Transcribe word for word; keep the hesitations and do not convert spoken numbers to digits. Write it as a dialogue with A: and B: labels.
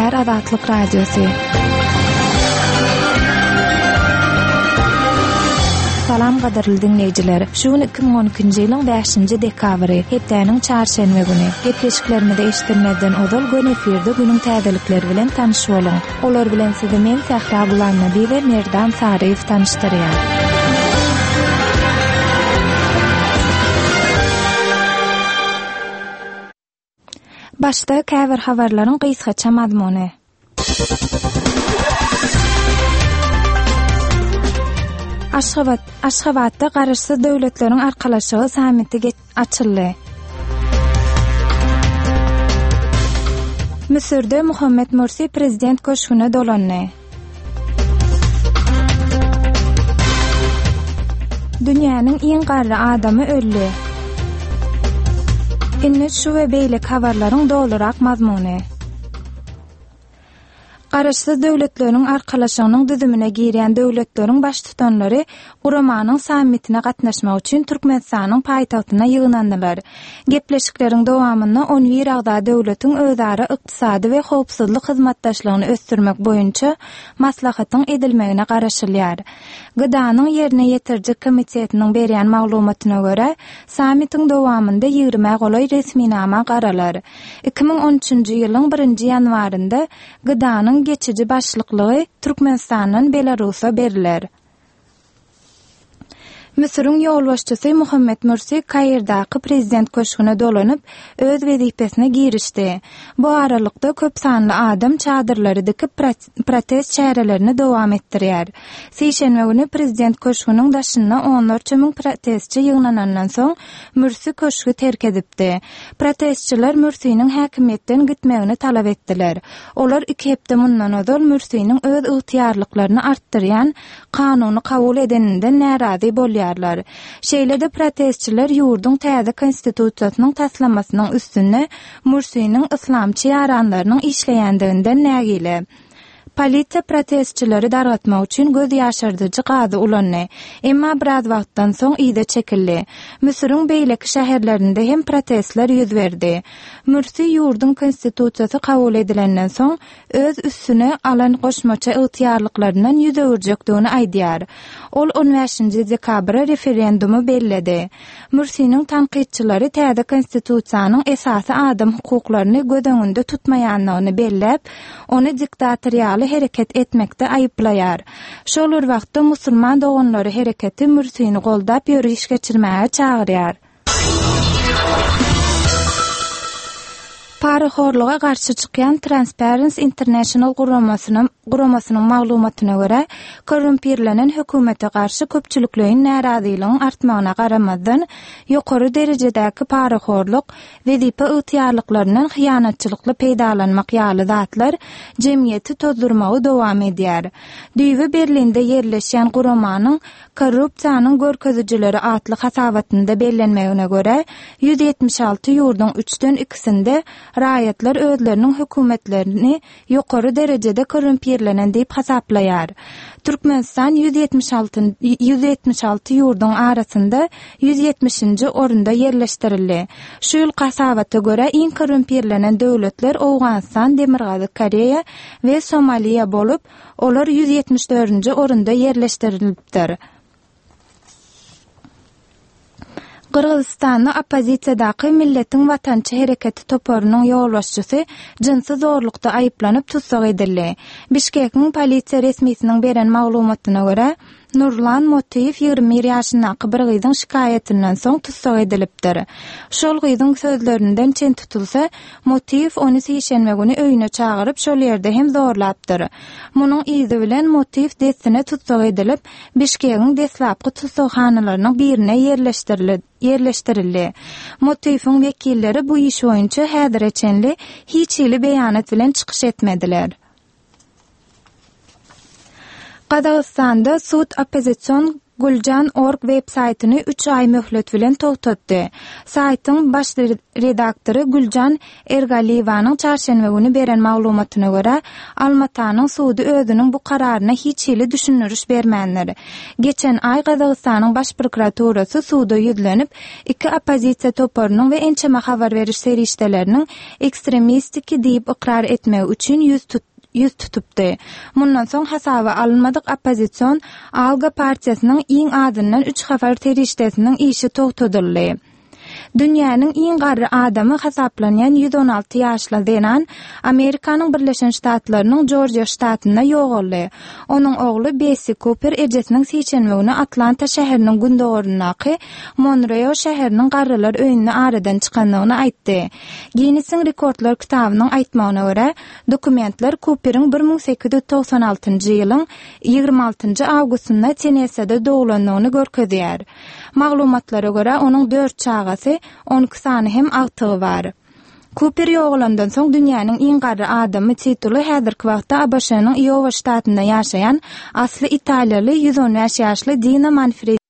A: Gepleýär Azatlyk Radiosy. Salam gadyrly diňleýjiler. Şu gün iki müň on ikinji ýylyň bäşinji dekabry, hepdäniň çarşenbe güni. Gepleşiklerimizi eşitdirmezden ozal göni efirde günüň täzelikleri bilen tanyş boluň. Olar bilen sizi men Sähra Gulamnabi we Merdan Saryýew tanyşdyrýar. Başda käbir habarlaryň gysgaça mazmuny. Aşgabat, Aşgabatda Garaşsyz Döwletleriň Arkalaşygy sammiti açyldy. Müsürde Muhammet Mursi prezident köşgüne dolandy. Dünýäniň iň garry adamy öldi. Indi şu we beýleki habarlaryň dolurak mazmuny. Garaşsyz Döwletleriň Arkalaşygynyň düzümine girýän döwletleriň baştutanlary guramanyň sammitine gatnaşmak üçin Türkmenistanyň paýtagtyna ýygnandylar. Gepleşikleriň dowamynda on bir agza döwletiň özara ykdysady we howpsuzlyk hyzmatdaşlygyny ösdürmek boýunça maslahatyň edilmegine garaşylýar. G D A'nyň ýerine ýetiriji komitetiniň berýän maglumatyna görä, sammitiň dowamynda ýigrimä golaý resminama garalar. Iki müň on üçünji ýylyň birinji ýanwarynda G D A'nyň geçiji başlyklygy Türkmenistandan Belarusa beriler. Müsüriň ýolbaşçysy Muhammet Mursi Kairdaky prezident köşgüne dolanyp, öz wezipesine girişdi. Bu aralykda köp sanly adam çadyrlary dikip protest çärelerini dowam etdirýär. Sişenbe güni prezident köşgüniň daşynda onlarça müň protestçi ýygnanandan soň Mursi köşgi terk edipdi. Protestçiler Mursiniň häkimiýetden gitmegini talap etdiler. Olar iki hepde mundan ozal Mursiniň öz ygtyýarlyklaryny artdyrýan kanuny kabul edeninden närazy bolýarlar. Şeýle-de protestçiler ýurduň täze konstitusiýasynyň taslamasynyň üstünde Mursiniň yslamçy ýaranlarynyň işleýändiginden nägile. Polisiýa protestçileri dargatmak üçin göz ýaşardyjy gazy ulandy. Emma biraz wagtdan soň yza çekildi. Müsüriň beýleki şäherlerinde hem protestler ýüz berdi. Mursi ýurduň konstitusiýasy kabul edilenden soň öz üstüne alan goşmaça ygtyýarlyklaryndan ýüz öwürjekdigini aýdýar. Ol on bäşinji dekabra referendumy belledi. Mursiniň tankytçylary täze konstitusiýanyň esasy adam hukuklaryny göz öňünde tutmaýanlygyny belläp, ony diktator ýaly hereket etmekde aýyplaýar. Şol bir wagtda musulman doganlary hereketi Mursini goldap ýöriş geçirmäge çagyrýar. Parahorluga garşy çykýan Transparency International guramasynyň, guramasynyň maglumatyna görä, korrumpirlenen hökümete garşy köpçülikleýin närazylygyň artmagyna garamazdan, ýokary derejedäki parahorluk, wezipe ygtyýarlyklaryndan hyýanatçylykly peýdalanmak ýaly zatlar jemgyýeti tozdurmagy dowam edýär. Düýbi Berlinde ýerleşýän guramanyň korrupsiýanyň görkezijileri atly hasabatynda bellenmegine görä, ýüz ýetmiş alty ýurduň üçden ikisinde raýatlar özleriniň hökümetlerini ýokary derejede korrumpirlenen diýip hasaplaýar. Türkmenistan ýüz ýetmiş alty, ýüz ýetmiş alty ýurduň arasynda ýüz ýetmişinji orunda ýerleşdirildi. Şu ýyl hasabata görä iň korrumpirlenen döwletler Owganystan, Demirgazyk Koreýa we Somaliýa bolup, olar ýüz ýetmiş dördünji orunda ýerleşdirilipdir. Gyrgyzystanda oppozisiýadaky Milletiň Watançy Hereketi toparynyň ýolbaşçysy jynsy zorlukda aýyplanyp tussag edildi. Bişkekiň polisiýa resmisiniň beren maglumatyna görä, Nurlan Motiýew ýigrimi bir ýaşyndaky bir gyzyň şikaýatyndan soň tussag edilipdir. Şol gyzyň sözlerinden çen tutulsa, Motiýew ony sişenbe güni öýüne çagyryp, şol ýerde hem zorlapdyr. Munuň yzy bilen Motiýew dessine tussag edilip, Bişkekiň deslapky tussaghanalarynyň birine ýerleşdirildi. ýerleşdirildi. Motiýewiň wekilleri bu iş boýunça häzire çenli hiç hili beýanat bilen çykyş etmediler. Gazagystanda sud oppozision Guljan org web saýtyny üç aý möhlet bilen togtatdy. Saýtyň baş redaktory Güljan Ergaliýewanyň çarşenbe güni beren maglumatyna görä, Almatanyň sudy özüniň bu kararyna hiç hili düşündiriş bermändir. Geçen aý Gazagystanyň Baş prokuraturasy suda ýüzlenip, iki oppozisiýa toparynyň we ençeme habar beriş serişdeleriniň ekstremistiki diýip ykrar etmegi üçin ýüz ýüz tutupdy. Mundan soň hasaba alynmadyk oppozision Alga partiýasynyň iň azyndan üç habar serişdesiniň işi togtadyldy. Dünýäniň iň garry adamy hasaplanýan ýüz on alty ýaşly zenan Amerikanyň Birleşen Ştatlarynyň Jorjiýa ştatynda ýogaldy. Onuň ogly Bessi Kuper ejesiniň sişenbe güni Atlanta şäheriniň gündogaryndaky Monreo şäheriniň garrylar öýünde aradan çykandygyny aýtdy. Ginnesiň rekordlar kitabynyň aýtmagyna görä, dokumentler Kuperiň bir müň sekiz ýüz togsan altynjy ýylyň ýigrimi altynjy awgustynda Tennesede doglandygyny görkezýär. Maglumatlara görä, onuň dört çagasy, on iki sany hem agtygy bar. Kuper ýogalandan soň dünýäniň iň garry adamy tituly häzirki wagtda A B Ş-nyň Iowa ştatynda ýaşaýan asly italiýaly ýüz on bäş ýaşly Dina Manfredi